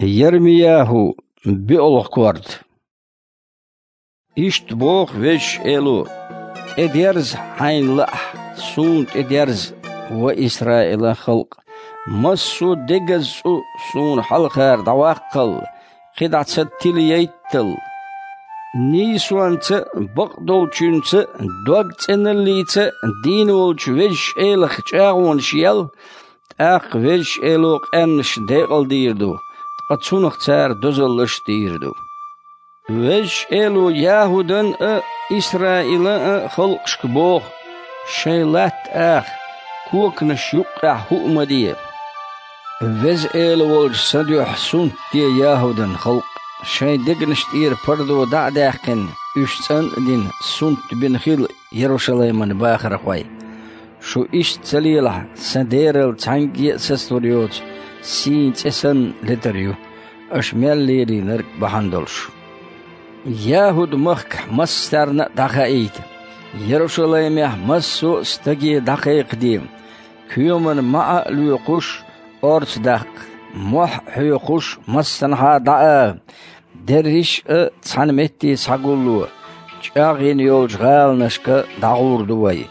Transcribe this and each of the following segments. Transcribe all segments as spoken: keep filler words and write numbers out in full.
Ярмияху, биълагӀа корта. Иштта боху Везачу Эло: «ТӀедерза хьайна лаахь, Суна тӀедерза, ва Исраилан халкъ, массо а дегаза цӀу Суна хьалхара дӀаваккхал, кхидӀа ца тилаяйтал. Нийсонца а, бакъдолчуьнца а, дог цӀеналлица а дийна волчу Везачу Элах чӀагӀонаш ял, тӀаккха Везачу Эло къаьмнаш декъалдийр ду, ткъа Цунах цара дозаллаш а дийр ду». Везачу Эло ЯхӀудан а, Исраилан а халкъашка боху: «Шайн латта аха, коканаш юккъехь хӀуъа ма де. Веза Эла волчу Сан дуьхьа сунтде ЯхӀудан халкъ, шайн дегнаш тӀера пардо дӀа а даьккхина, уьш цӀан а дина, сунтбина хила, Ярушалайман бахархой. Шу иштта ца лелахь, Сан дерал цхьаьнгге а сацалур йоцу сийна цӀе санна летар ю, аша мел лелийнарг бахьана долуш. ЯхӀуд-махкахь массарна а дӀахаийта, Ярушалаймехь массо а стаге дӀакхайкхаде, коьман маӀа а лоькхуш, орца даккха, мохь а хьоькхуш, массанхьа а дӀаала, дерриш а цхьана метте схьагулло, чӀагӀйина йолчу гӀаланашка дӀагӀур ду вай.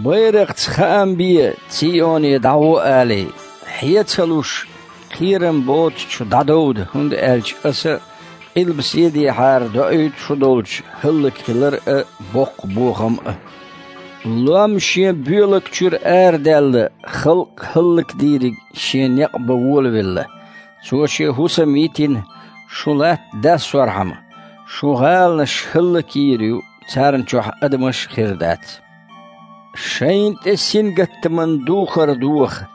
Байракхца хаам бе, Цийоне дӀагӀо алий, хье ца луш, кхерам боцучу дӀадовда, хӀунда аьлча Аса къилба седехьара доуьйту шу долчу хӀаллакьхилар а, боккха бохам а. Лом шен боьлаг чуьра арадаьлла, халкъ хӀаллакдийриг шен некъ бан волавелла. Цо шен хӀусам йитина, шу латта дассорхьама, шун гӀаланаш хӀаллакйийр ю, царна чохь адамаш а хир дац. Шайна тӀе сингаттаман духар доха,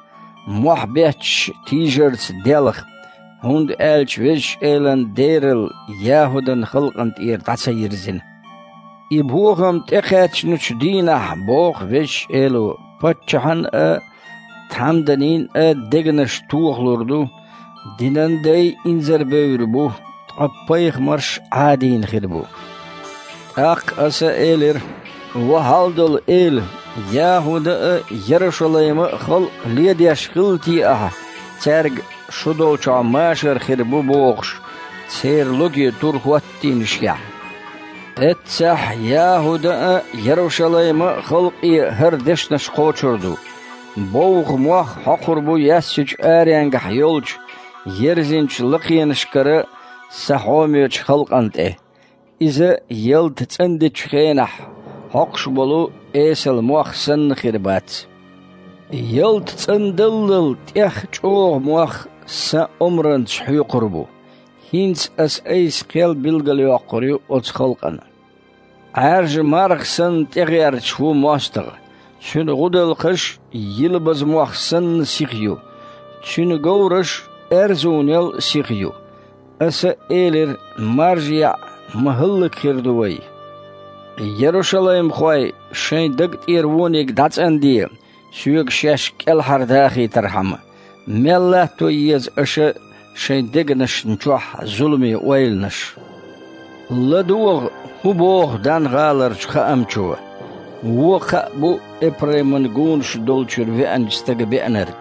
мохь бетташ тийжарца делха, хӀунда аьлча Везачу Элан дерал ЯхӀудан халкъана тӀера дӀа ца йирзина. И бохам тӀекхаьчначу дийнахь, боху Везачу Эло, паччахьан а, тхьамданийн а дегнаш тохалур ду, динан дай инзарбевр бу, ткъа пайхамарш Ӏадийна хир бу. ТӀаккха Аса элира: «Ва хьалдолу Эла, ЯхӀуда а, Ярушалайма а халкъ ледеш хилла те ахьа, цаьрга шу долчохь машар хир бу бохуш, церан логе тур хӀоттийнашехь?» Эццахь ЯхӀуда а, Ярушалайма а халкъе хӀара дешнаш кхочур ду: «Бовха мох хьокхур бу яьссачу аренгахь йолчу ерзинчу лакхенашкара Сан хьомечу халкъана тӀе. Иза ялта цӀандечу хенахь хьокхуш болу эсала мох санна хир бац. Ялта цӀандаллал тӀех чӀогӀа мох Сан омранца хьоькхур бу. ХӀинца Аса айса кхел билгалйоккхур ю оцу халкъана. Ӏаьржа марха санна тӀегӀерташ ву мостагӀа, цуьнан гӀудалкхаш йилбаза мох санна сиха ю, цуьнан говраш аьрзунел сиха ю». Аса элира: «Маржа яӀ, ма хӀаллакьхир ду вай. Ярушалаймхой, шайн даг тӀера вониг дӀацӀанде, Соьга шаьш кӀелхьардахийтархьама, мел латто еза аша шайн дегнашна чохь зуламе ойланаш. ЛадогӀа, хӀун боху Дан-гӀаларчу хаамчо: „Вон кхаъ бу Эпрайман гонаш долчуьра веанчу стага беанарг“.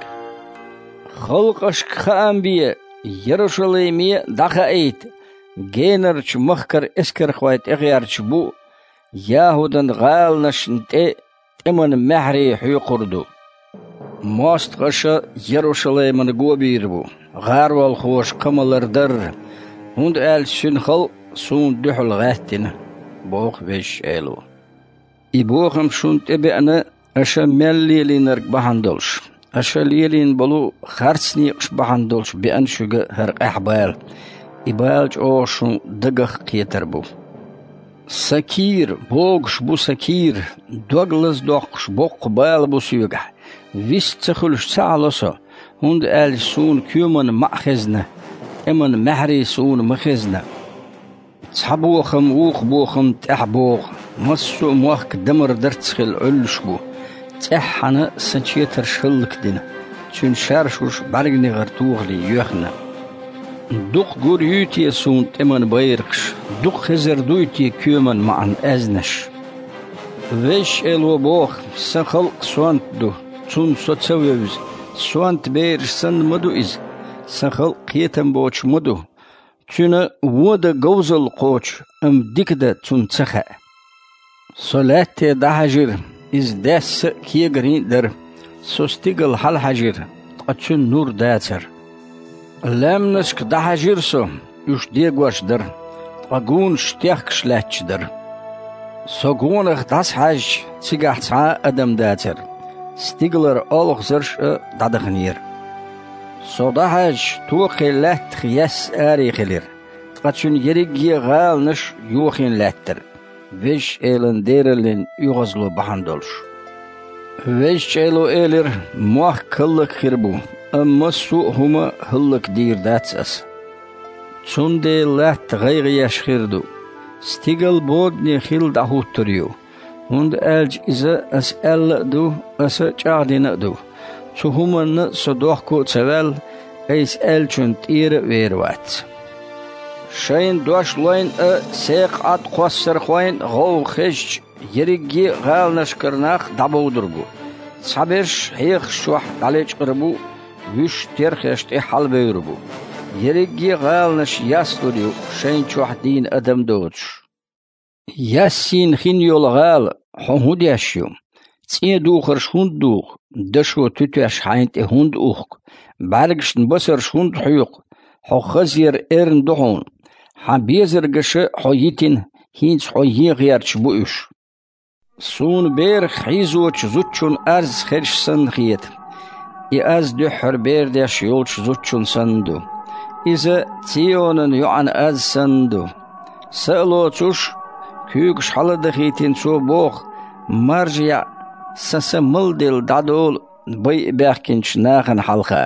Халкъашка хаам бе, Ярушалайме а дӀахаийта, генарчу махкара эскархой тӀегӀерташ бу, ЯхӀудан гӀаланашна тӀе тӀеман маьхьарий хьоькхур ду. МостагӀаша Ярушалаймана го бийр бу, гӀаролхоша кхамалар дарра, хӀунда аьлча цуьнан халкъ Суна дуьхьал гӀаьттина, боху Везачу Эло. И бохам шуна тӀебеана, аша мел лелийнарг бахьана долуш. Аша лелийна болу харц некъаш бахьана долуш беана шуьга хӀара къаьхьа бала. И бала чӀогӀа шун дагах кхетар бу. Сан кийра, богуш бу сан кийра, дог лазадоккхуш боккха бала бу соьгахь. Вист ца хуьлуш ца Ӏало со, хӀунда аьлча суна коьман маӀа хезна, тӀеман маьхьарий суна ма хезна. Цхьа бохам вукху бохамна тӀаьхьа богӀу, массо а мохк дамар дарц хилла Ӏуьллуш бу. ЦӀеххьана сан четарш хӀаллакдина, цуьнан шаршуш бӀаьрганегӀар тухале йоьхна. Дукха гур юй те суна тӀеман байракхаш, дукха хезар дуй те коьман маӀан аьзнаш? Везачу Эло боху: «Сан халкъ сонта ду, цунна со ца вевза, сонта бераш санна ма ду иза. Сан халкъ кхетам боцуш ма ду. Цуьнан вон дан говзалла кхочу, амма дика дан цунна ца хаьа. Со лаьтте дӀахьаьжира, иза даьсса а, кегарийн а дара. Со стигала хьалахьаьжира, ткъа цуьнан нур дацара. Лаьмнашка дӀахьаьжира со, уьш дегош дара, ткъа гонаш техкаш лаьтташ дара. Со гонах дӀасахьаьжча, цигахь цхьа а адам дацара, стигалара олхазарш а дӀадаханера. Со дӀахьаьжча, тохе лаьттах яьсса аре хилира, ткъа цуьнан ерриге а гӀаланаш йохийна лаьттара, Везачу Элан дераллин оьгӀазло бахьана долуш. Везачу Эло элира: «Мохк хӀаллакьхир бу, амма массо а хӀума хӀаллакдийр дац Аса». Цундела латта гӀайгӀа еш хир ду. Стигал бодане хилла дӀахӀуттур ю, хӀунда аьлча иза Аса аьлла а ду, Аса чӀагӀдина а ду. Цу хӀуманна Со дохко а ца ваьлла, Айса аьллачунна тӀера а вер вац. Шайна дош лойн а, секха Ӏад кхоссархойн а гӀовгӀа хезча, ерриге а гӀаланашкара нах дӀабовдур бу. Цхьаберш хьехаш чохь дӀалечкъар бу, вуьш терхеш тӀе хьалабевр бу. Ерриге а гӀаланаш яслур ю, шайна чохь дийна адам доцуш. Яссийна хин йолу гӀала, хьо хӀун деш ю? ЦӀен духарш хӀунда духу? Дашо туьтеш хьайна тӀе хӀунда ухку? БӀаьргашна басарш хӀунда хьоькху? Хьо хазъяр эрна ду хьуна. Хьан безаргаша хьо йитина, хӀинца хьо ен гӀерташ бу уьш. Суна берах хьийзочу зудчун аз хезаш санна хета. И аз дуьххьара бер деш йолчу зудчун санна ду. Иза Ционан йоӀан аз санна ду. Са а лоцуш, куьйгаш хьаладахийтина цо боху: «Маржа яӀ, сан са малделла дӀадолу байа баьхкинчу нахана хьалха».